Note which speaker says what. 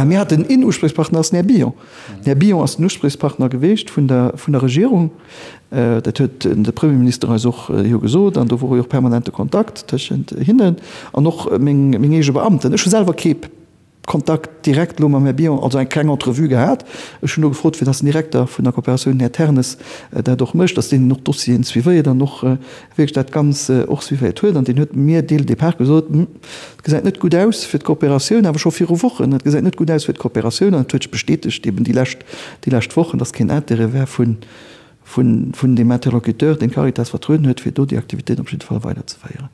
Speaker 1: Mir haten een Uspriechpartner, ass den Här Billon. Den Här Billon ass den Uspriechpartner geweecht vun der, vun der Regierung. Dat huet de Premierminister eis och jo gesot an do wor jo och permanente Kontakt tëschent hinnen an och meng, meng eege Beamten. Ech hu selwer kee Kontakt direkt elo mam Här Billon, also eng kleng Entrevue gehat. Ech hunn do gefrot, fir dass den Direkter vun der Kooperatioun, den Här Ternes, dat och mécht, dass deen och d'Dossieren suivéiert an och wierklech dat Ganz och suivéiert huet. An deen huet mir dès le départ gesot, Hm, et gesäit net gutt aus fir d'Kooperatioun, awer scho viru Wochen, et gesäit net gutt aus fir d'Kooperatioun. An et huet sech bestätegt eben déi lescht, déi lescht Wochen, dass keen Intérêt wär vun, vun, vun deem Interlocuteur, deen d'Caritas vertrueden huet, fir do déi Aktivitéiten op jidde Fall weiderzeféieren.